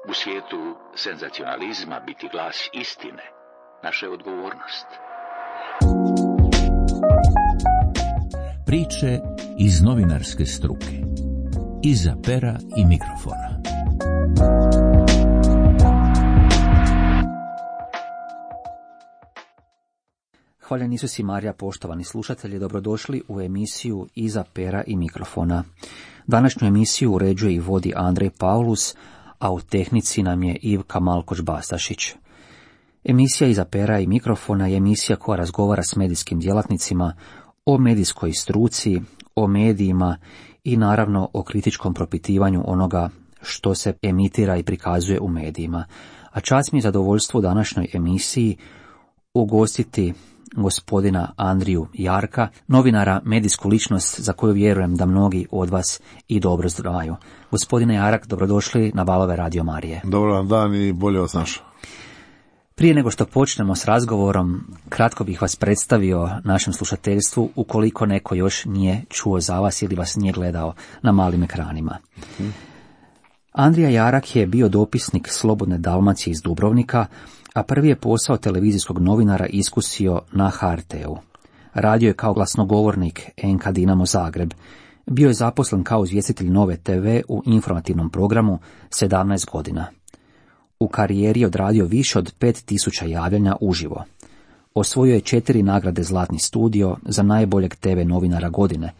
U svijetu senzacionalizma biti glas istine naša je odgovornost. Priče iz novinarske struke. Iza pera i mikrofona. Hvaljen Isus i Marija, poštovani slušatelji, dobrodošli u emisiju Iza pera i mikrofona. Današnju emisiju uređuje i vodi Andrej Paulus, a u tehnici nam je Ivka Malkoš-Bastašić. Emisija Iza pera i mikrofona je emisija koja razgovara s medijskim djelatnicima o medijskoj struci, o medijima i naravno o kritičkom propitivanju onoga što se emitira i prikazuje u medijima. A čast mi je zadovoljstvo u današnjoj emisiji ugostiti gospodina Andriju Jarka, novinara, medijsku ličnost za koju vjerujem da mnogi od vas i dobro znaju. Gospodine Jarak, dobrodošli na valove Radio Marije. Dobar vam dan i bolje vas našao. Prije nego što počnemo s razgovorom, kratko bih vas predstavio našem slušateljstvu ukoliko neko još nije čuo za vas ili vas nije gledao na malim ekranima. Andrija Jarak je bio dopisnik Slobodne Dalmacije iz Dubrovnika, a prvi je posao televizijskog novinara iskusio na HRT-u. Radio je kao glasnogovornik NK Dinamo Zagreb. Bio je zaposlen kao izvjestitelj Nove TV u informativnom programu 17 godina. U karijeri je odradio više od 5000 javljanja uživo. Osvojio je 4 nagrade Zlatni studio za najboljeg TV novinara godine,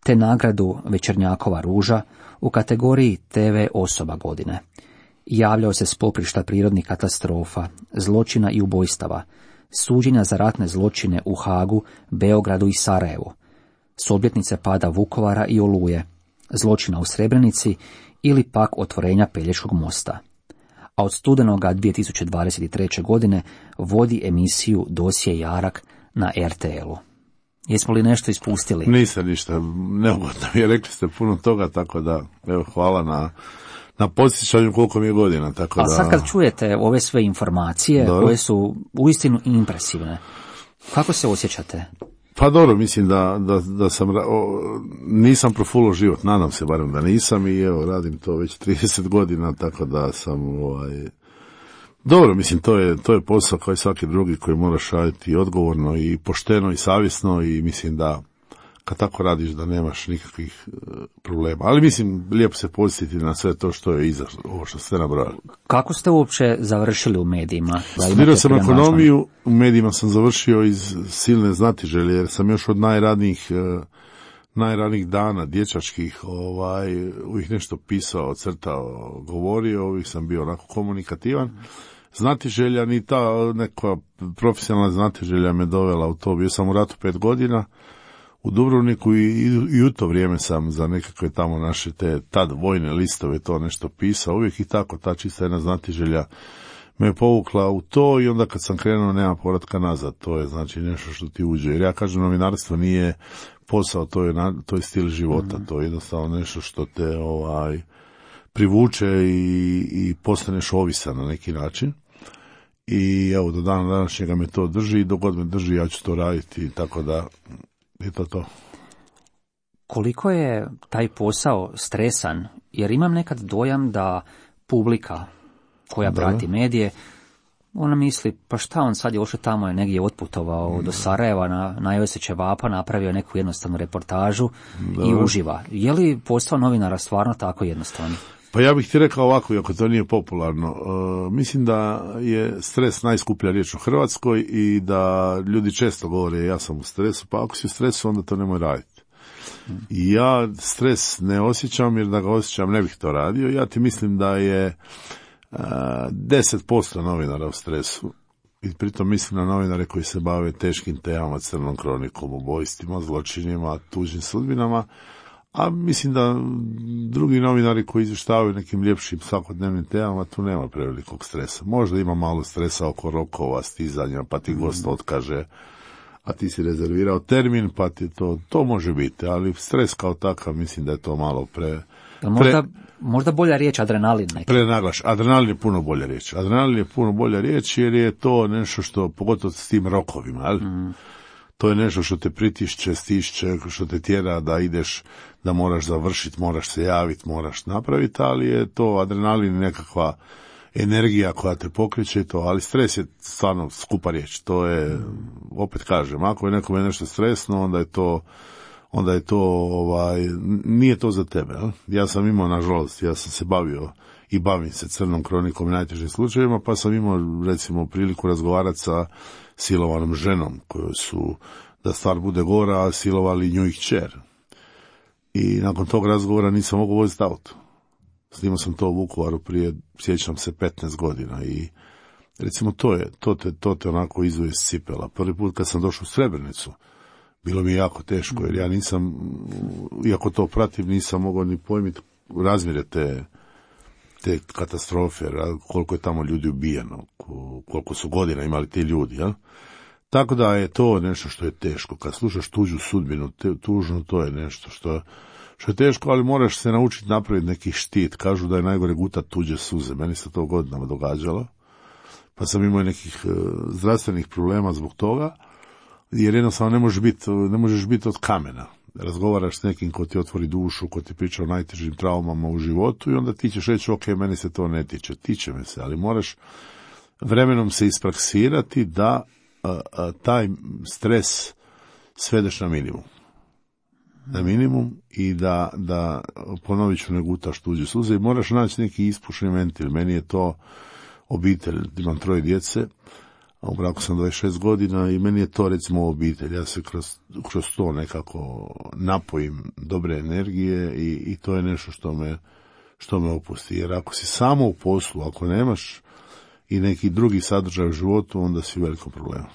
te nagradu Večernjakova ruža u kategoriji TV osoba godine. Javljao se s poprišta prirodnih katastrofa, zločina i ubojstava, suđenja za ratne zločine u Hagu, Beogradu i Sarajevu, s obljetnice pada Vukovara i Oluje, zločina u Srebrenici ili pak otvorenja Pelješkog mosta. A od studenoga 2023. godine vodi emisiju Dosje Jarak na RTL-u. Jesmo li nešto ispustili? Nisam ništa, neugodno mi je, rekli ste puno toga, tako da evo, hvala na podsjećanju koliko mi je godina. Tako a sad kad čujete ove sve informacije, dobro, koje su uistinu impresivne, kako se osjećate? Pa dobro, mislim da sam, nisam profulo život, nadam se barem da nisam i evo, radim to već 30 godina, tako da sam, dobro, mislim, to je posao kao i svaki drugi koji moraš raditi odgovorno i pošteno i savjesno i mislim da kad tako radiš da nemaš nikakvih problema. Ali mislim, lijepo se podsjetiti na sve to što je iza, ovo što ste nabrojali. Kako ste uopće završili u medijima? Studirao sam ekonomiju, u medijima sam završio iz silne znatiželje, jer sam još od najranijih dana dječačkih uvijek nešto pisao, crtao, govorio, uvijek sam bio onako komunikativan. Znatiželja, ni ta neka profesionalna znatiželja me dovela u to. Bio sam u ratu 5 godina u Dubrovniku i u to vrijeme sam za nekakve tamo naše te tad vojne listove to nešto pisao, uvijek i tako, ta čista jedna znatiželja me povukla u to i onda kad sam krenuo nema povratka nazad, to je znači nešto što ti uđe, jer ja kažem novinarstvo nije posao, to je stil života, to je jednostavno nešto što te privuče i postaneš ovisan na neki način. I evo, do dana današnjega me to drži i dok god me drži ja ću to raditi, tako da je to. Koliko je taj posao stresan? Jer imam nekad dojam da publika koja prati medije, ona misli, pa šta on sad je ošao tamo, je negdje otputovao do Sarajeva, najeo se ćevapa, napravio neku jednostavnu reportažu i uživa. Je li posao novinara stvarno tako jednostavno? Pa ja bih ti rekao ovako, iako to nije popularno, mislim da je stres najskuplja riječ u Hrvatskoj i da ljudi često govore ja sam u stresu, pa ako si u stresu onda to nemoj raditi. I ja stres ne osjećam, jer da ga osjećam ne bih to radio. Ja ti mislim da je 10% novinara u stresu. I pritom mislim na novinare koji se bave teškim temama, crnom kronikom, ubojstvima, zločinima, tužnim sudbinama. A mislim da drugi novinari koji izvještavaju nekim ljepšim svakodnevnim temama, tu nema prevelikog stresa. Možda ima malo stresa oko rokova, stizanja, pa ti gost otkaže, a ti si rezervirao termin, pa ti to može biti. Ali stres kao takav, mislim da je to malo možda bolja riječ adrenalin. Prenaglaš. Adrenalin je puno bolja riječ. Adrenalin je puno bolja riječ jer je to nešto što, pogotovo s tim rokovima, To je nešto što te pritišće, stišće, što te tjera da ideš, da moraš završiti, moraš se javiti, moraš napraviti, ali je to adrenalin, nekakva energija koja te pokreće to, ali stres je stvarno skupa riječ. To je, opet kažem, ako je nekome nešto stresno, onda je to nije to za tebe. Ja sam imao, nažalost, ja sam se bavio i bavim se crnom kronikom i najtežim slučajevima, pa sam imao, recimo, priliku razgovarati sa silovanom ženom, koju su, da stvar bude gora, silovali nju i kćer. I nakon tog razgovora nisam mogao voziti auto. Snimao sam to u Vukovaru prije, sjećam se, 15 godina i recimo to te onako izvoje iz cipela. Prvi put kad sam došao u Srebrenicu, bilo mi je jako teško, jer ja nisam, iako to pratim, nisam mogao ni pojmiti razmjere te katastrofe, koliko je tamo ljudi ubijeno, koliko su godina imali ti ljudi, jel? Tako da je to nešto što je teško. Kad slušaš tuđu sudbinu, tužno, to je nešto što je teško, ali moraš se naučiti napraviti neki štit. Kažu da je najgore gutat tuđe suze. Meni se to godinama događalo. Pa sam imao nekih zdravstvenih problema zbog toga, jer jednostavno ne možeš biti od kamena. Razgovaraš s nekim ko ti otvori dušu, ko ti priča o najtežim traumama u životu i onda ti ćeš reći, ok, meni se to ne tiče. Tiče me se, ali moraš vremenom se ispraksirati da taj stres svedeš na minimum. Na minimum i da ponovit ću, ne gutaš tuđe suze i moraš naći neki ispušni ventil. Meni je to obitelj, imam 3 djece, a u braku sam 26 godina i meni je to recimo obitelj. Ja se kroz to nekako napojim dobre energije i to je nešto što me opusti. Jer ako si samo u poslu, ako nemaš i neki drugi sadržaj u životu, onda si u velikom problemu.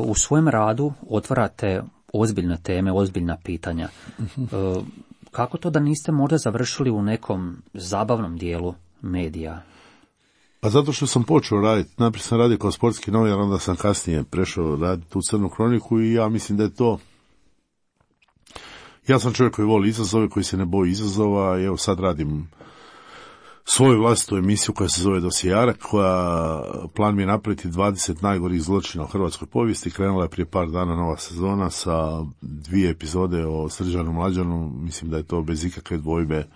U svojem radu otvarate ozbiljne teme, ozbiljna pitanja. Kako to da niste možda završili u nekom zabavnom dijelu medija? Pa zato što sam počeo raditi. Najprije sam radio kao sportski novinar, onda sam kasnije prešao raditi u crnu kroniku i ja mislim da je to... Ja sam čovjek koji voli izazove, koji se ne boji izazova i evo sad radim svoju vlastitu emisiju koja se zove Dosijarak, koja plan mi je napraviti 20 najgorih zločina u hrvatskoj povijesti. Krenula je prije par dana nova sezona sa 2 epizode o Srđanu Mlađanu. Mislim da je to bez ikakve dvojbe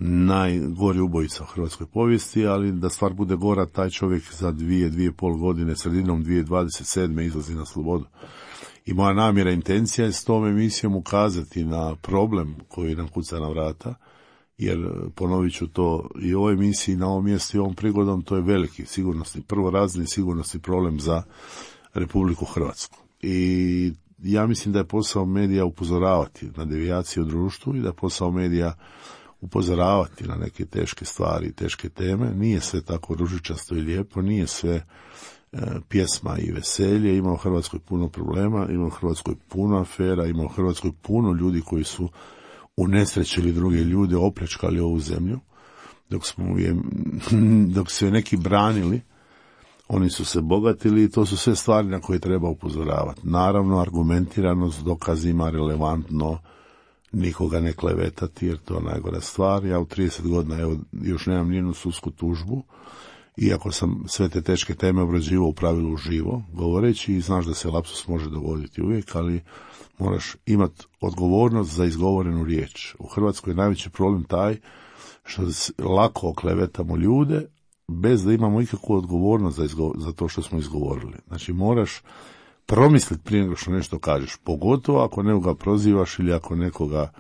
najgori ubojica u hrvatskoj povijesti, ali da stvar bude gora, taj čovjek za 2,5 godine, sredinom 2027. izlazi na slobodu. I moja namjera, intencija je s tom emisijom ukazati na problem koji nam kuca na vrata, jer ponovit ću to i u ovoj emisiji, na ovom mjestu i ovom prigodom, to je veliki prvorazredni sigurnosni problem za Republiku Hrvatsku. I ja mislim da je posao medija upozoravati na devijacije u društvu i da je posao medija upozoravati na neke teške stvari, teške teme. Nije sve tako ružičasto i lijepo, nije sve pjesma i veselje. Ima u Hrvatskoj puno problema, ima u Hrvatskoj puno afera, ima u Hrvatskoj puno ljudi koji su unesrećili druge ljude, opljačkali ovu zemlju. Dok su je neki branili, oni su se bogatili i to su sve stvari na koje treba upozoravati. Naravno, argumentirano, s dokazima, relevantno, nikoga ne klevetati, jer to je najgora stvar. Ja u 30 godina još nemam nijednu sudsku tužbu, iako sam sve te teške teme obrađivao u pravilu uživo, govoreći, i znaš da se lapsus može dogoditi uvijek, ali moraš imati odgovornost za izgovorenu riječ. U Hrvatskoj je najveći problem taj što lako oklevetamo ljude bez da imamo ikakvu odgovornost za to što smo izgovorili. Znači moraš promisliti prije nego što nešto kažeš, pogotovo ako nekoga prozivaš ili ako nekoga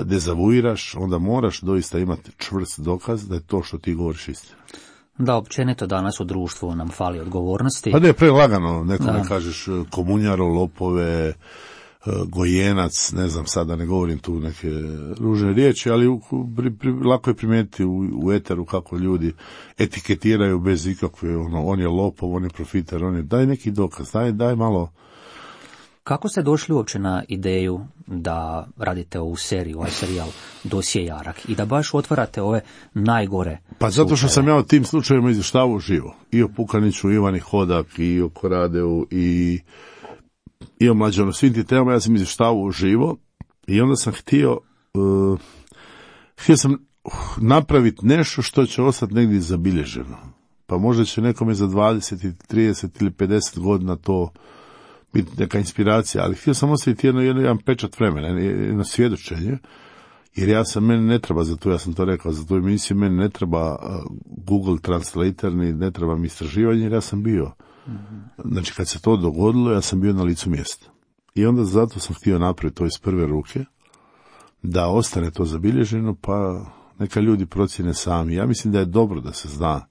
dezavuiraš, onda moraš doista imati čvrst dokaz da je to što ti govoriš istina. Da, općenito danas u društvu nam fali odgovornosti. Pa da je prelagano, nekome kažeš komunjaro, lopove, gojenac, ne znam, sada ne govorim tu neke ružne riječi, ali lako je primijetiti u eteru kako ljudi etiketiraju bez ikakve, on je lopov, on je profiter, daj neki dokaz, daj malo. Kako ste došli uopće na ideju da radite ovu seriju, ovaj serijal Dosijarak i da baš otvarate ove najgore Pa zato što sam ja o tim slučajevima izvještavao živo. I o Pukaniću, i Ivani Hodak, i o Koradeu, i o Mlađanu, svim ti temama ja sam izvještavao živo i onda sam htio sam napraviti nešto što će ostati negdje zabilježeno. Pa možda će nekome za 20, 30 ili 50 godina to biti neka inspiracija, ali htio sam ostaviti jedan pečat vremena, jedno svjedočenje, jer meni ne treba za to, ja sam to rekao, za tu emisiju meni ne treba Google Translator, ni ne treba mi istraživanje, jer ja sam bio. Znači, kad se to dogodilo, ja sam bio na licu mjesta. I onda zato sam htio napraviti to iz prve ruke, da ostane to zabilježeno, pa neka ljudi procjene sami. Ja mislim da je dobro da se zna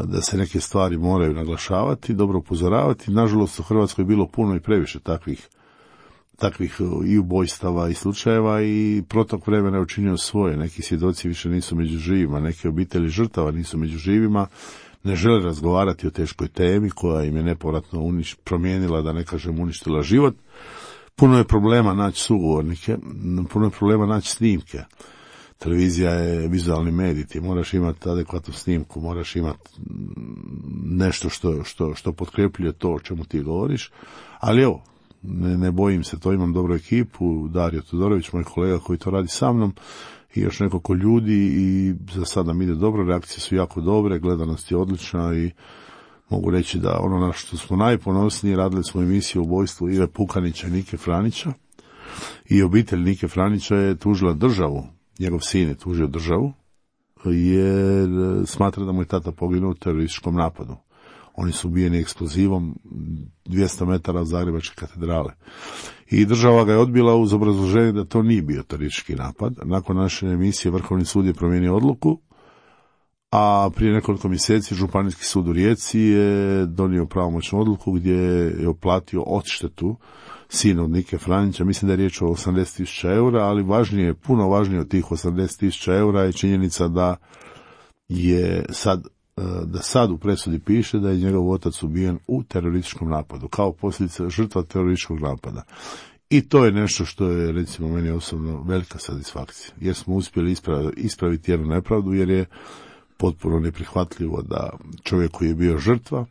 da se neke stvari moraju naglašavati, dobro upozoravati. Nažalost, u Hrvatskoj je bilo puno i previše takvih i ubojstava i slučajeva i protok vremena je učinio svoje. Neki svjedoci više nisu među živima, neke obitelji žrtava nisu među živima, ne žele razgovarati o teškoj temi koja im je nepovratno promijenila, da ne kažem uništila život. Puno je problema naći sugovornike, puno je problema naći snimke. Televizija je vizualni medij, ti moraš imati adekvatnu snimku, moraš imati nešto što potkrepljuje to o čemu ti govoriš, ali evo, ne bojim se, to imam dobru ekipu, Dario Todorović, moj kolega koji to radi sa mnom, i još nekoliko ljudi i za sada nam ide dobro, reakcije su jako dobre, gledanost je odlična i mogu reći da ono na što smo najponosniji, radili smo emisiju o ubojstvu Ive Pukanića i Nike Franića i obitelj Nike Franića je tužila državu, njegov sin je tužio državu jer smatra da mu je tata poginuo u terorističkom napadu. Oni su ubijeni eksplozivom 200 metara od Zagrebačke katedrale. I država ga je odbila uz obrazloženje da to nije bio teroristički napad. Nakon naše emisije Vrhovni sud je promijenio odluku, a prije nekoliko mjeseci Županijski sud u Rijeci je donio pravomoćnu odluku gdje je oplatio odštetu sinu od Nike Franića. Mislim da je riječ o 80.000 eura, ali važnije, puno važnije od tih 80.000 eura je činjenica da sad u presudi piše da je njegov otac ubijen u terorističkom napadu, kao posljedica žrtva terorističkog napada. I to je nešto što je, recimo, meni osobno velika satisfakcija, jer smo uspjeli ispraviti jednu nepravdu, jer je potpuno neprihvatljivo da čovjek koji je bio žrtva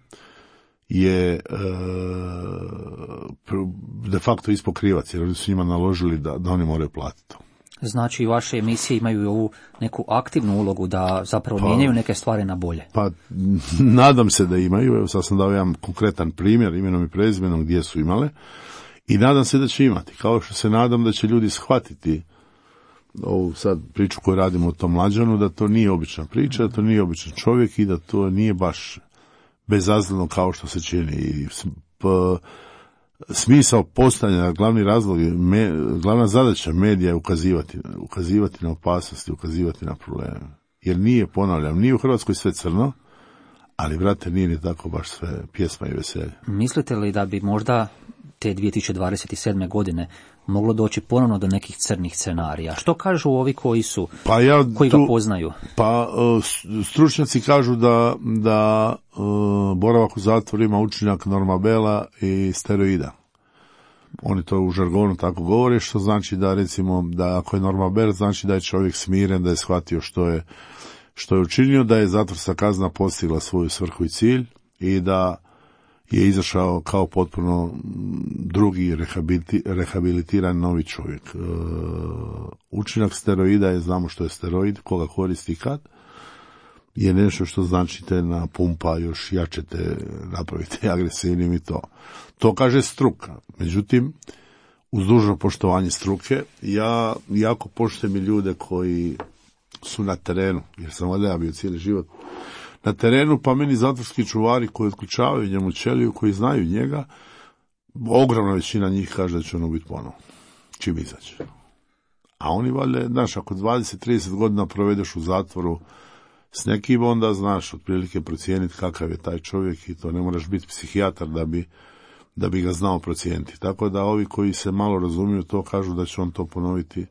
je de facto ispao krivac, jer oni su njima naložili da oni moraju platiti to. Znači, vaše emisije imaju i ovu neku aktivnu ulogu da zapravo mijenjaju neke stvari na bolje. Pa, nadam se da imaju. Evo, sad sam dao jedan konkretan primjer, imenom i prezimenom gdje su imale. I nadam se da će imati. Kao što se nadam da će ljudi shvatiti ovu sad priču koju radimo o tom Mlađanu, da to nije obična priča, da to nije običan čovjek i da to nije baš bezazleno kao što se čini. I smisao postojanja, glavni razlog, glavna zadaća medija je ukazivati na opasnosti, ukazivati na probleme. Jer nije, ponavljam, nije u Hrvatskoj sve crno, ali, brate, nije ni tako baš sve pjesma i veselje. Mislite li da bi možda te 2027. godine moglo doći ponovno do nekih crnih scenarija? Što kažu ovi koji ga poznaju? Pa stručnjaci kažu da boravak u zatvoru ima učinak normabela i steroida. Oni to u žargonu tako govore, što znači da, recimo, da ako je normabel, znači da je čovjek smiren, da je shvatio što je učinio, da je zatvorska kazna postigla svoju svrhu i cilj i da je izašao kao potpuno drugi rehabilitiran novi čovjek. Učinak steroida je, znamo što je steroid, koga koristi i kad, je nešto što znači te napumpa, još jače te napravite agresivnim i to. To kaže struka. Međutim, uz dužno poštovanje struke, ja jako poštujem i ljude koji su na terenu, jer sam valjda bio cijeli život na terenu, pa meni zatvorski čuvari koji otključavaju njemu ćeliju, koji znaju njega, ogromna većina njih kaže da će ono biti ponovo, čim izađe. A oni valjda, znaš, ako 20-30 godina provedeš u zatvoru s nekim, onda znaš otprilike procijeniti kakav je taj čovjek i to ne moraš biti psihijatar da bi ga znao procijeniti. Tako da ovi koji se malo razumiju to kažu da će on to ponoviti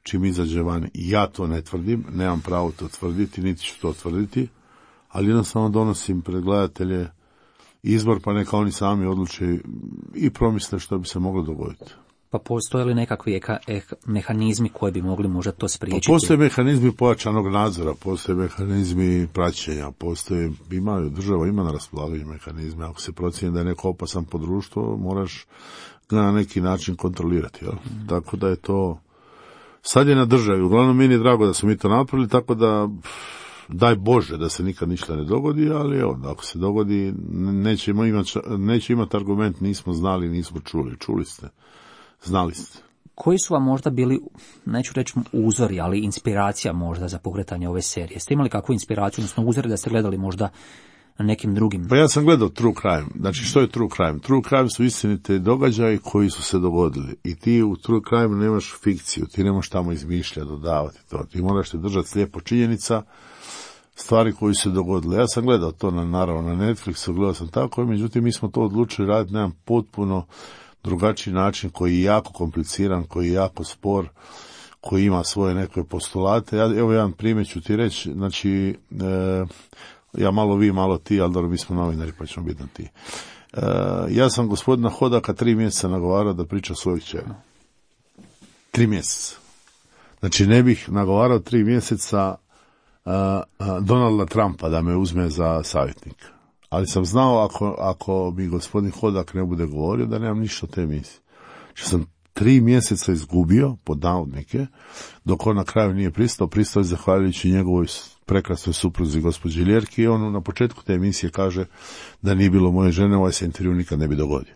čim izađe van. Ja to ne tvrdim, nemam pravo to tvrditi, niti ću to tvrditi, ali jednostavno donosim pred gledatelje izbor, pa neka oni sami odluče i promisle što bi se moglo dogoditi. Pa postoje li nekakvi mehanizmi koji bi mogli možda to spriječiti? Pa postoje mehanizmi pojačanog nadzora, postoje mehanizmi praćenja, država ima na raspolaganju mehanizme. Ako se procijeni da je neko opasan po društvo, moraš ga na neki način kontrolirati. Jel? Tako da je to, sad je na državi. Uglavnom, meni je drago da su mi to napravili, tako da daj Bože da se nikad ništa ne dogodi, ali evo, ako se dogodi, neće imati argument, nismo znali, nismo čuli. Čuli ste, znali ste. Koji su vam možda bili, neću reći uzori, ali inspiracija možda za pokretanje ove serije? Ste imali kakvu inspiraciju, odnosno uzori da ste gledali možda na nekim drugim? Pa ja sam gledao True Crime. Znači, što je True Crime? True Crime su istinite događaji koji su se dogodili. I ti u True Crime nemaš fikciju, ti nemaš tamo izmišljati, dodavati to. Ti moraš te držati slijepo činjenica, stvari koje su se dogodile. Ja sam gledao to naravno na Netflixu, gledao sam tako, međutim mi smo to odlučili raditi na jedan potpuno drugačiji način koji je jako kompliciran, koji je jako spor, koji ima svoje neke postulate. Evo jedan primjer ću ti reći, znači, ja malo vi, malo ti, ali dobro, mi smo novinari pa ćemo biti na ti. Ja sam gospodina Hodaka 3 mjeseca nagovarao da priča svojih kćeri. 3 mjeseca. Znači ne bih nagovarao 3 mjeseca Donalda Trumpa da me uzme za savjetnika. Ali sam znao ako mi gospodin Hodak ne bude govorio da nemam ništa od te emisije. Što sam 3 mjeseca izgubio, pod navodnike, dok on na kraju nije pristao je zahvaljujući njegovoj prekrasnoj supruzi gospođi Ljerki i on na početku te emisije kaže da nije bilo moje žene, ovaj se intervju nikad ne bi dogodio.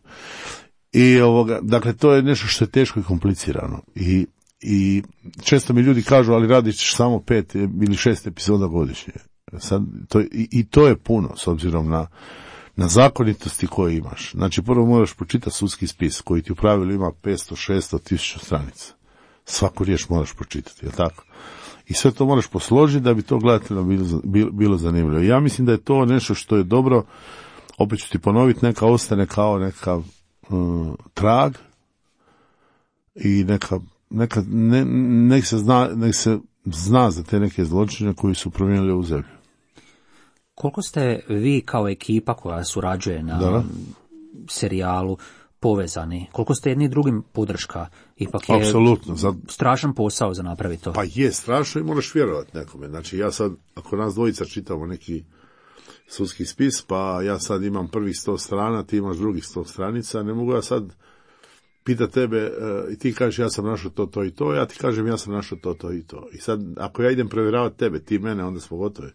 I dakle, to je nešto što je teško i komplicirano. I često mi ljudi kažu, ali radiš samo 5 ili 6 epizoda godišnje. Sad, to je puno, s obzirom na zakonitosti koje imaš. Znači, prvo moraš pročitati sudski spis, koji ti u pravilu ima 500, 600, 1000 stranica. Svaku riječ moraš pročitati, je tako? I sve to moraš posložiti da bi to gledateljima bilo zanimljivo. Ja mislim da je to nešto što je dobro, opet ću ti ponoviti, neka ostane kao neka trag i nek se zna za te neke zločine koji su promijenili u zemlju. Koliko ste vi kao ekipa koja surađuje na serijalu povezani? Koliko ste jedni drugim podrška? Ipak je apsolutno strašan posao za napraviti to. Pa je strašno i moraš vjerovati nekome. Znači ja sad, ako nas dvojica čitamo neki sudski spis, pa ja sad imam prvih 100 strana, ti imaš drugih 100 stranica, ne mogu ja sad pita tebe i ti kažeš ja sam našao to i to, ja ti kažem ja sam našao to i to. I sad, ako ja idem provjeravati tebe, ti mene, onda smo gotovi.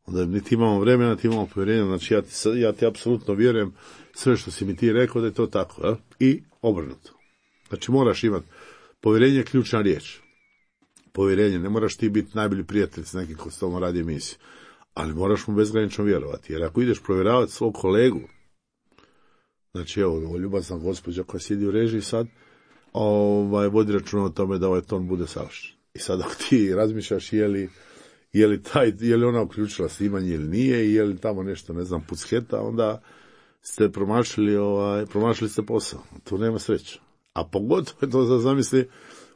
Onda niti imamo vremena, niti imamo povjerenja, znači ja ti apsolutno vjerujem sve što si mi ti rekao da je to tako, ja? I obrnuto. Znači moraš imati povjerenje, ključna riječ. Povjerenje, ne moraš ti biti najbolji prijatelj s nekim ko s tobom radi emisiju, ali moraš mu bezgranično vjerovati, jer ako ideš provjeravati svog kolegu, znači evo, ljubazna gospođa koja sjedi u režiji sad, vodi računa o tome da ovaj ton bude savršen. I sad ako ti razmišljaš je li ona uključila snimanje ili nije, je li tamo nešto, ne znam, pucketa, onda ste promašili ste posao. Tu nema sreće. A pogotovo je to, zamisli,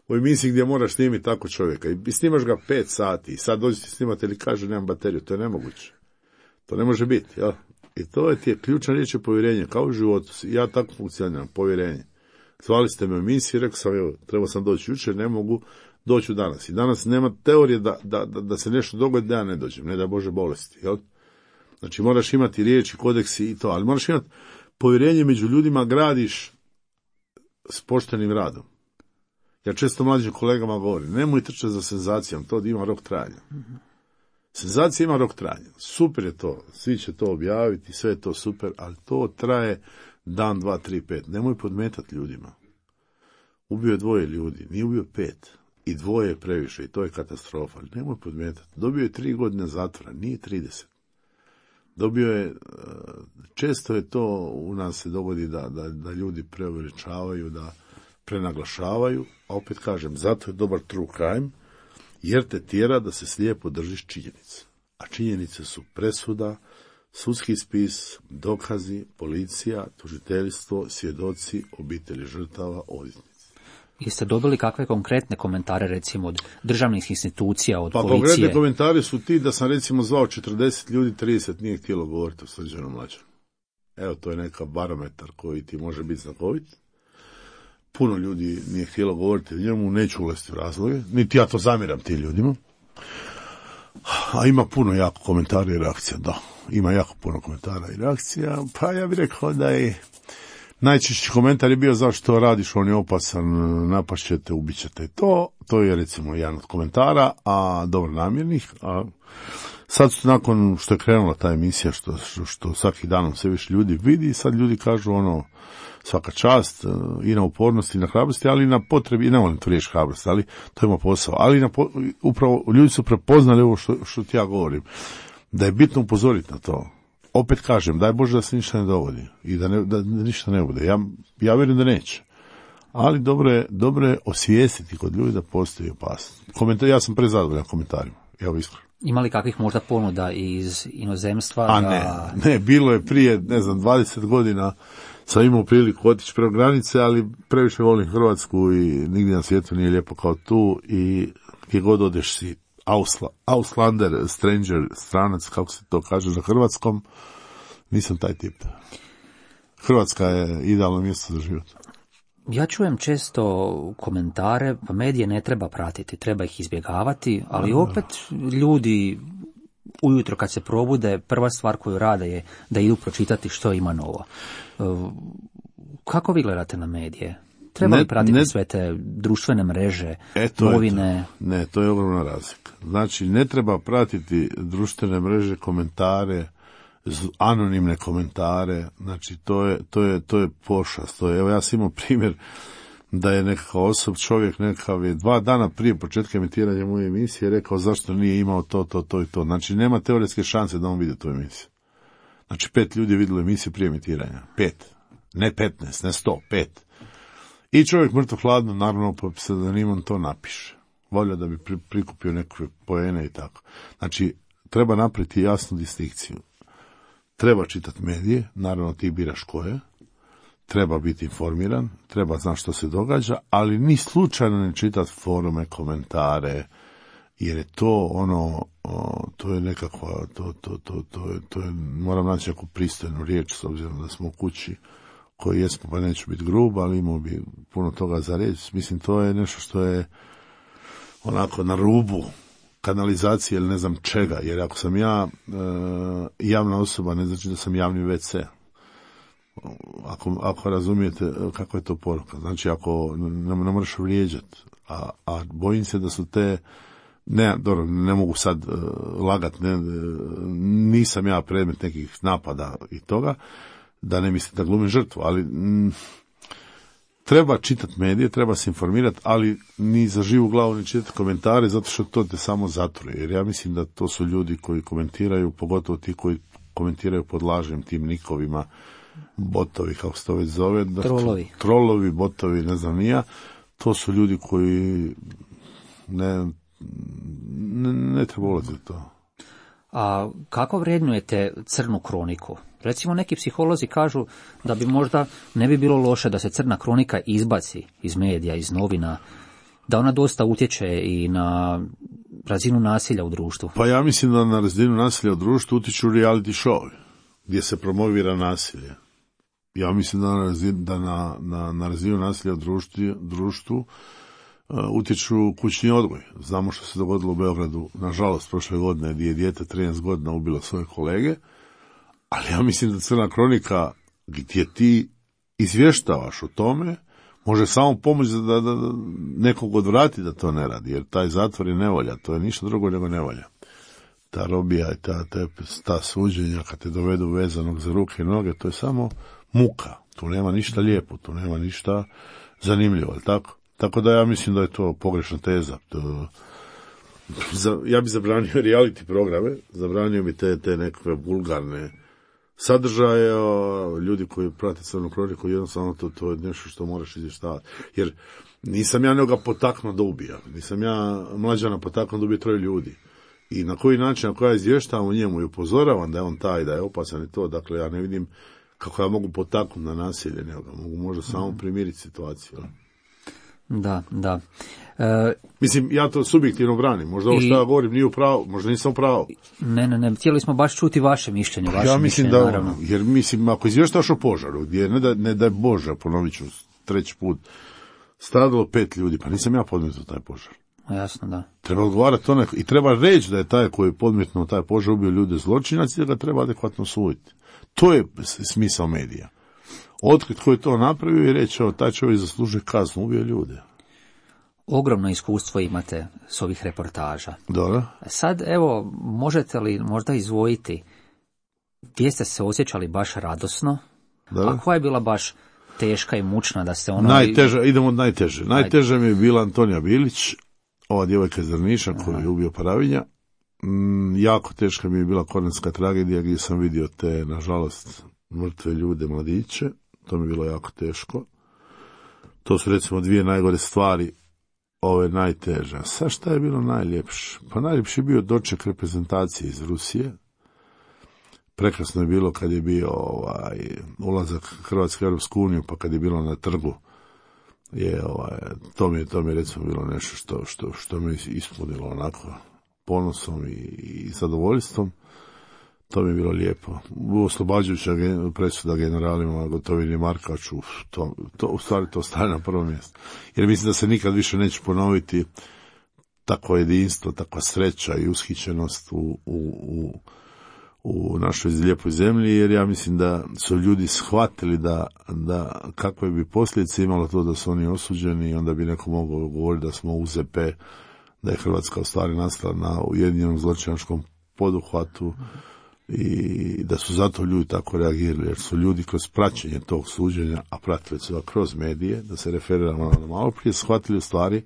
u emisiji gdje moraš snimiti tako čovjeka i snimaš ga 5 sati i sad dođi ti snimati ili kaže nemam bateriju, to je nemoguće. To ne može biti, jel? I to je ti je ključna riječ je povjerenje, kao u životu. Ja tako funkcioniram, povjerenje. Zvali ste me u emisiji, rekao sam, evo, trebao sam doći jučer, ne mogu, doću danas. I danas nema teorije da se nešto dogodi da ja ne dođem, ne da Bože bolesti, jel? Znači moraš imati riječi, kodeksi i to, ali moraš imati povjerenje među ljudima, gradiš s poštenim radom. Ja često mlađim kolegama govorim, nemoj trčati za senzacijom, to ima rok trajanja. Senzacija ima rok trajanja. Super je to, svi će to objaviti, sve je to super, ali to traje dan, 2, 3, 5. Nemoj podmetati ljudima. Ubio je 2 ljudi, nije ubio 5. I 2 je previše i to je katastrofa. Nemoj podmetati. Dobio je 3 godine zatvora, nije 30. Dobio je, često je to u nas se dogodi da ljudi preuveličavaju, da prenaglašavaju, a opet kažem, zato je dobar true crime, jer te tjera da se slijepo držiš činjenica. A činjenice su presuda, sudski spis, dokazi, policija, tužiteljstvo, svjedoci, obitelji žrtava, odvjetnici. Jeste dobili kakve konkretne komentare, recimo, od državnih institucija, od policije? Pa konkretne komentari su ti da sam, recimo, zvao 40 ljudi, 30 nije htjelo govoriti o Srđanu Mlađanu. Evo, to je neka barometar koji ti može biti znakovit. Puno ljudi nije htjelo govoriti o njemu, neću ulaziti u razloge, niti ja to zamjeram tim ljudima. A ima puno jako komentara i reakcija, da. Ima jako puno komentara i reakcija, pa ja bih rekao da je najčešći komentar je bio zašto radiš, on je opasan, napašćete, ubićete. To je recimo jedan od komentara, a dobro namjernih, a Sad nakon što je krenula ta emisija, što svaki danom sve više ljudi vidi, sad ljudi kažu svaka čast i na upornosti i na hrabrosti, ali i na potrebi, i ne volim tu riječ hrabrosti, ali to ima posao. Ali upravo ljudi su prepoznali ovo što ti ja govorim, da je bitno upozoriti na to. Opet kažem, daj Bože da se ništa ne dogodi i da ništa ne bude. Ja vjerujem da neće. Ali dobro je osvijestiti kod ljudi da postoji opasnost. Ja sam prezadovoljan komentarima, evo iskreno. Ima li kakvih možda ponuda iz inozemstva? Ne, bilo je prije, 20 godina sam imao priliku otići preko granice, ali previše volim Hrvatsku i nigdje na svijetu nije lijepo kao tu i gdje god odeš si Auslander, stranger, stranac, kako se to kaže na hrvatskom, nisam taj tip. Hrvatska je idealno mjesto za život. Ja čujem često komentare, pa medije ne treba pratiti, treba ih izbjegavati, ali opet ljudi ujutro kad se probude, prva stvar koju rade je da idu pročitati što ima novo. Kako vi gledate na medije? Treba li pratiti sve te društvene mreže, novine? Ne, to je ogromna razlika. Znači, ne treba pratiti društvene mreže, komentare, anonimne komentare, znači to je pošast. Evo ja sam imao primjer da je nekakav čovjek nekakav je 2 dana prije početka emitiranja moje emisije rekao zašto nije imao to i to. Znači nema teoretske šanse da on vidi tu emisiju. Znači 5 ljudi je vidjelo emisiju prije emitiranja. 5. Ne 15, ne 100, 5. I čovjek mrtvo hladno, naravno po pseudonimom to napiše. Volio da bi prikupio neke poene i tako. Znači treba napraviti jasnu distinkciju. Treba čitati medije, naravno ti biraš koje, treba biti informiran, treba znati što se događa, ali ni slučajno ne čitati forume, komentare, jer je to to je nekakva, to je, moram naći neku pristojnu riječ, s obzirom da smo u kući, koji jesmo, pa neću biti grub, ali imao bi puno toga za reći. Mislim, to je nešto što je onako na rubu kanalizacije ili ne znam čega, jer ako sam ja javna osoba, ne znači da sam javni WC. Ako razumijete kako je to poruka. Znači, ako ne moraš vrijeđati, a bojim se da su te, ne mogu sad lagat, nisam ja predmet nekih napada i toga, da ne mislim da glumim žrtvu, ali treba čitati medije, treba se informirati, ali ni za živu glavu ne čitati komentare, zato što to te samo zatruje. Jer ja mislim da to su ljudi koji komentiraju, pogotovo ti koji komentiraju pod lažnim tim nikovima, botovi, kako se to već zove. Trolovi, botovi, ne znam nija. To su ljudi koji ne treba ulaziti u to. A kako vrednujete crnu kroniku? Recimo, neki psiholozi kažu da bi možda ne bi bilo loše da se crna kronika izbaci iz medija, iz novina, da ona dosta utječe i na razinu nasilja u društvu. Pa ja mislim da na razinu nasilja u društvu utječu reality show gdje se promovira nasilje. Ja mislim da na razinu nasilja u društvu utječu kućni odgoj. Znamo što se dogodilo u Beogradu, nažalost, prošle godine, gdje je dijete 13 godina ubilo svoje kolege, ali ja mislim da crna kronika gdje ti izvještavaš o tome može samo pomoći da nekog odvrati da to ne radi, jer taj zatvor je nevolja, to je ništa drugo nego nevolja. Ta robija i ta suđenja kad te dovedu vezanog za ruke i noge, to je samo muka. Tu nema ništa lijepo, tu nema ništa zanimljivo, ali tako? Tako da ja mislim da je to pogrešna teza. Ja bi zabranio reality programe, zabranio bi te nekakve vulgarne sadržaje, ljudi koji prate crnu kroniku, jednostavno to je nešto što moraš izvještavati. Jer nisam ja nekoga potaknuo da ubija, nisam ja Mlađana potaknuo da ubije 3 ljudi. I na koji način, ako ja izvještavam o njemu i upozoravam da je on taj, da je opasan i to, dakle ja ne vidim kako ja mogu potaknuti na nasilje nekoga, mogu možda samo primiriti situaciju. Da. Mislim, ja to subjektivno branim. Možda ovo što ja govorim nije u pravu, možda nisam u pravu. Ne. Htjeli smo baš čuti vaše mišljenje. Ja mislim da, naravno. Jer mislim, ako izvještaš o požaru, gdje ne daj Bože, ponovit ću 3. put, stradalo 5 ljudi, pa nisam ja podmetnuo taj požar. Jasno, da. Treba odgovarati to i treba reći da je taj koji je podmetnuo taj požar ubio ljude zločinac i da ga treba adekvatno suditi. To je smisao medija. Otkriti ko je to napravio i reći, taj čovjek zaslužuje kaznu, ubio ljude. ogromno iskustvo imate s ovih reportaža. Dobro. Sad, evo, možete li možda izdvojiti gdje ste se osjećali baš radosno, a koja je bila baš teška i mučna da se ono... Najteža, idemo od najteže. Najteža mi je bila Antonija Bilić, ova djevojka iz Drniša koju je ubio Paravinja. Jako teška mi je bila Kornatska tragedija gdje sam vidio te, nažalost, mrtve ljude, mladiće. To mi je bilo jako teško. To su recimo dvije najgore stvari, ove najteže. Sad šta je bilo najljepše? Pa najljepši je bio doček reprezentacije iz Rusije. Prekrasno je bilo kad je bio ulazak Hrvatske u Europsku uniju, pa kad je bilo na trgu. To mi je recimo bilo nešto što me ispunilo onako ponosom i zadovoljstvom. To mi je bilo lijepo. Oslobađajuća presuda generalima Gotovini i Markaču, u stvari to staje na prvo mjesto. Jer mislim da se nikad više neće ponoviti takvo jedinstvo, takva sreća i ushićenost u našoj lijepoj zemlji, jer ja mislim da su ljudi shvatili da kakve bi posljedice imalo to da su oni osuđeni i onda bi neko mogao govoriti da smo UZP, da je Hrvatska u stvari nastala na ujedinjenom zločinačkom poduhvatu i da su zato ljudi tako reagirali, jer su ljudi kroz praćenje tog suđenja, a pratili su ga kroz medije, da se referiramo na malo prije, shvatili u stvari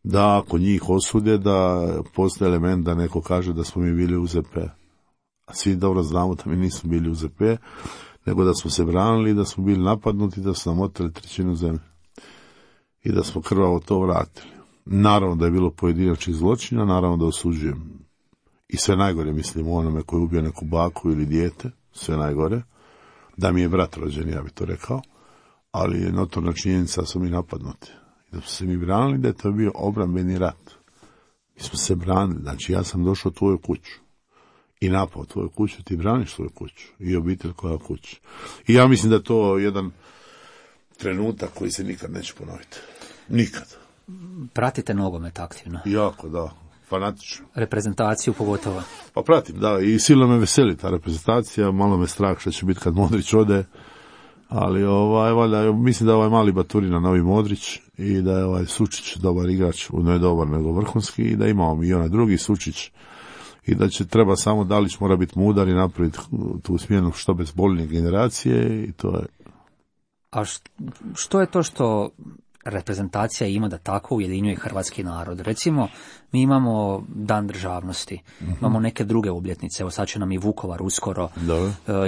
da ako njih osude, da postoji element da neko kaže da smo mi bili UZP. A svi dobro znamo da mi nismo bili UZP, nego da smo se branili, da smo bili napadnuti, da su nam oteli trećinu zemlje i da smo krvavo to vratili. Naravno da je bilo pojedinačnih zločina, naravno da osuđujem i sve najgore, mislim, o onome koji je ubio neku baku ili dijete, sve najgore, da mi je brat rođen, ja bi to rekao, ali je notorna činjenica da smo mi napadnuti. I da smo se mi branili, da je to bio obrambeni rat. Mi smo se branili, znači ja sam došao u tvoju kuću i napao tvoju kuću, ti braniš svoju kuću i obitelj koja kuća. I ja mislim da je to jedan trenutak koji se nikad neće ponoviti. Nikad. Pratite nogomet aktivno? Jako, da. Fanatično. Reprezentaciju pogotovo? Pa pratim, da, i silno me veseli ta reprezentacija, malo me strah što će biti kad Modrić ode, ali valjda, mislim da je mali Baturina novi Modrić i da je Sučić dobar igrač, ne dobar nego vrhunski, i da imamo i onaj drugi Sučić i da će treba samo Dalić mora biti mudar i napraviti tu smjenu što bezbolnije generacije i to je. A što je to što reprezentacija ima da tako ujedinjuje hrvatski narod? Recimo, mi imamo Dan državnosti, imamo neke druge obljetnice, evo sad će nam i Vukovar uskoro,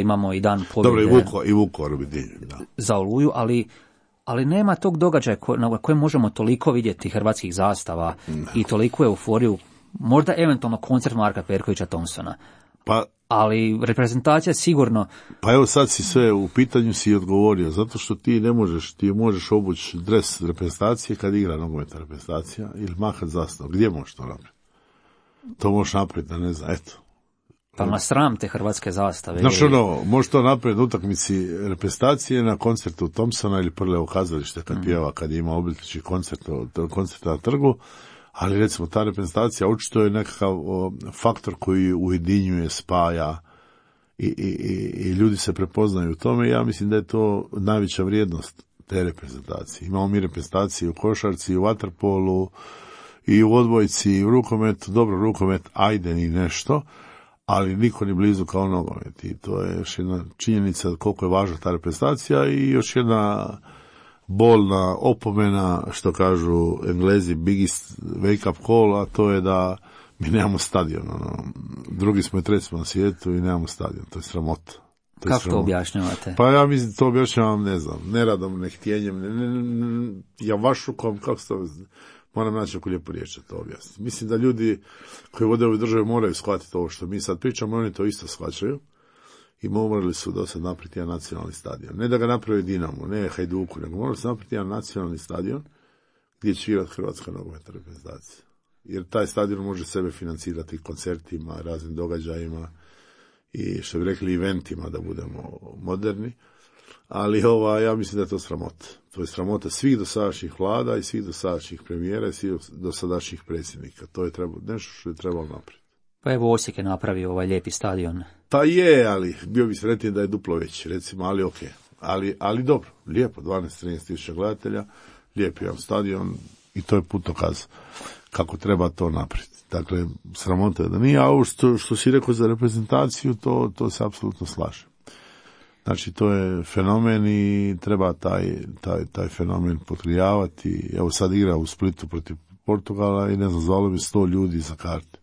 imamo i Dan pobjede. Dobro, i Vukovar bi za Oluju, ali nema tog događaja na kojem možemo toliko vidjeti hrvatskih zastava i toliko euforiju, možda eventualno koncert Marka Perkovića Thompsona. Ali reprezentacija sigurno... Pa evo sad si sve u pitanju si odgovorio, zato što ti možeš obući dres reprezentacije kad igra nogometna reprezentacija ili mahat zastavu. Gdje možeš to napraviti? To možeš napraviti, ne znam, eto. Pa na sram te hrvatske zastave. Znaš možeš to napraviti na utakmici reprezentacije, na koncertu Thompsona ili Prljevo kazalište kad pjeva, kad ima obljetnički koncert na trgu. Ali recimo ta reprezentacija očito je nekakav faktor koji ujedinjuje, spaja i ljudi se prepoznaju u tome. Ja mislim da je to najveća vrijednost te reprezentacije. Imamo mi reprezentacije u košarci, u vaterpolu i u odbojci i u rukometu. Dobro, rukomet ajde ni nešto, ali niko ni blizu kao nogomet. I to je još jedna činjenica koliko je važna ta reprezentacija i još jedna bolna opomena, što kažu Englezi, biggest wake up call, a to je da mi nemamo stadion. Drugi smo i treći smo na svijetu i nemamo stadion. To je sramota. Kako to objašnjavate? Pa ja mislim to objašnjavam, ne znam, neradom, nehtjenjem, javašlukom, kako se to... Moram naći neku lijepu riječ da to objasniti. Mislim da ljudi koji vode ove države moraju shvatiti ovo što mi sad pričamo, oni to isto shvaćaju. I morali su do sad napraviti jedan nacionalni stadion. Ne da ga napravi Dinamo, ne Hajduku, nego morali su napraviti jedan nacionalni stadion gdje će igrati Hrvatska nogometna reprezentacija. Jer taj stadion može sebe financirati koncertima, raznim događajima i što bi rekli eventima da budemo moderni. Ali ja mislim da je to sramota. To je sramota svih dosadašnjih vlada i svih dosadašnjih premijera i svih dosadašnjih predsjednika. To je nešto što je trebalo napraviti. Pa evo Osijek je napravio ovaj lijepi stadion. Pa je, ali bio bi sretniji da je duplo veći, recimo, ali okej. Ali dobro, lijepo, 12-13 tisuća gledatelja, lijep jedan stadion, I to je putokaz kako treba to napraviti. Dakle, sramota je da nije, a ovo što si rekao za reprezentaciju, to se apsolutno slaže. Znači, to je fenomen i treba taj fenomen potkrijavati. Evo sad igra u Splitu protiv Portugala i ne znam, zvalo bi 100 ljudi za karte.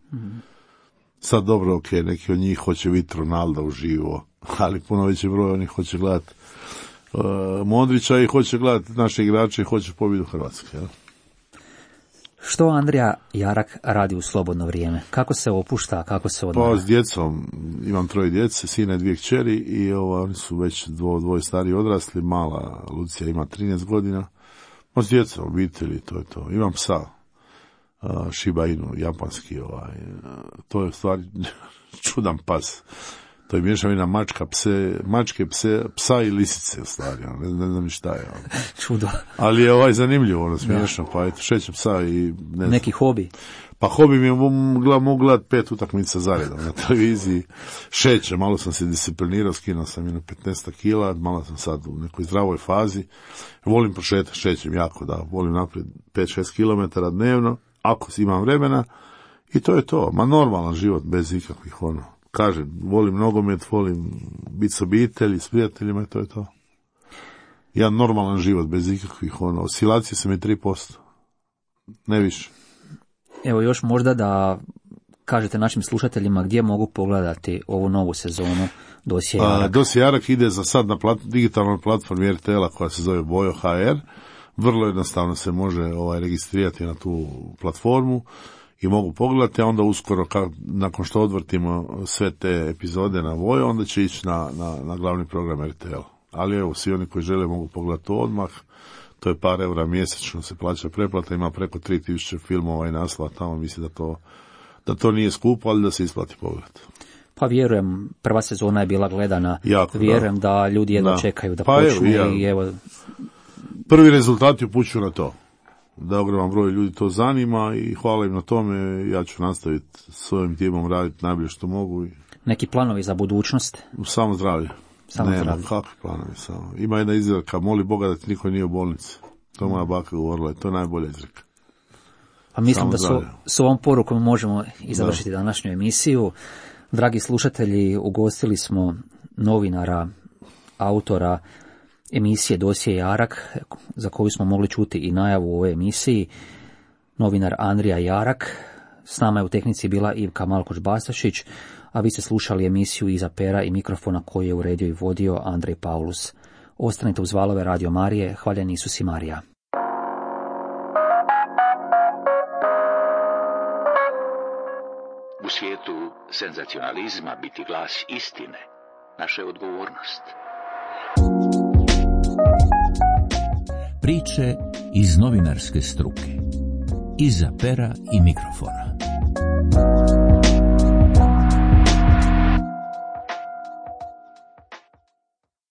Sad dobro, ok, neki od njih hoće vidjeti Ronalda uživo, ali puno veći broj onih hoće gledati Modrića i hoće gledati naše igrače i hoće pobjedu Hrvatske. Ja? Što Andrija Jarak radi u slobodno vrijeme? Kako se opušta, kako se odmara? Pa s djecom, imam 3 djece, sina i 2 kćeri i oni su već dvoje stari odrasli, mala Lucija ima 13 godina. Pa s djecom, obitelji, to je to. Imam psa, Shiba Inu, japanski, to je u stvari čudan pas. To je mješavina mačke, psa i lisice u stvari, ne znam ni šta je. Čudo. Ali je zanimljivo, smiješno, pa eto, šećem psa i ne znam. Neki hobi? Pa hobi mi je, mogu gledati 5 utakmica zaredom na televiziji, šećem, malo sam se disciplinirao, skinuo sam jedno 15 kila, malo sam sad u nekoj zdravoj fazi, volim prošetati, šećem jako, da, volim naprijed 5-6 km dnevno, ako imam vremena, i to je to, ma normalan život bez ikakvih kažem, volim nogomet, volim biti s obitelji, s prijateljima i to je to. Jedan normalan život bez ikakvih oscilacije sam je 3%, ne više. Evo još možda da kažete našim slušateljima gdje mogu pogledati ovu novu sezonu Dosje Jarak. Dosje Jarak ide za sad na digitalnoj platformi RTL-a koja se zove Bojo HR. Vrlo jednostavno se može registrirati na tu platformu i mogu pogledati, a onda uskoro nakon što odvrtimo sve te epizode na Vojo, onda će ići na glavni program RTL. Ali evo, svi oni koji žele mogu pogledati to odmah. To je par eura mjesečno se plaća pretplata, ima preko 3000 filmova i naslova tamo, mislim da to nije skupo, ali da se isplati pogled. Pa vjerujem, prva sezona je bila gledana, jako, vjerujem da ljudi jedno čekaju da počnu i evo... Prvi rezultati upućuju na to, da ogroman broj ljudi to zanima i hvala im na tome, ja ću nastaviti s ovim timom raditi najbolje što mogu. Neki planovi za budućnost? Samo zdravlje. Nema, kakvi planovi samo. Ima jedna izreka, moli Boga da ti niko nije u bolnici. To moja baka govorila, to je najbolja izreka. Pa mislim da s ovom porukom možemo i završiti današnju emisiju. Dragi slušatelji, ugostili smo novinara, autora emisije Dosje Jarak, za koju smo mogli čuti i najavu u ovoj emisiji, novinar Andrija Jarak. S nama je u tehnici bila Ivka Malkoč-Bastašić, a vi ste slušali emisiju iza pera i mikrofona koju je uredio i vodio Andrej Paulus. Ostanite uz valove Radio Marije, hvaljeni Isus i Marija. U svijetu senzacionalizma biti glas istine, naša je odgovornost. Priče iz novinarske struke. Iza pera i mikrofona.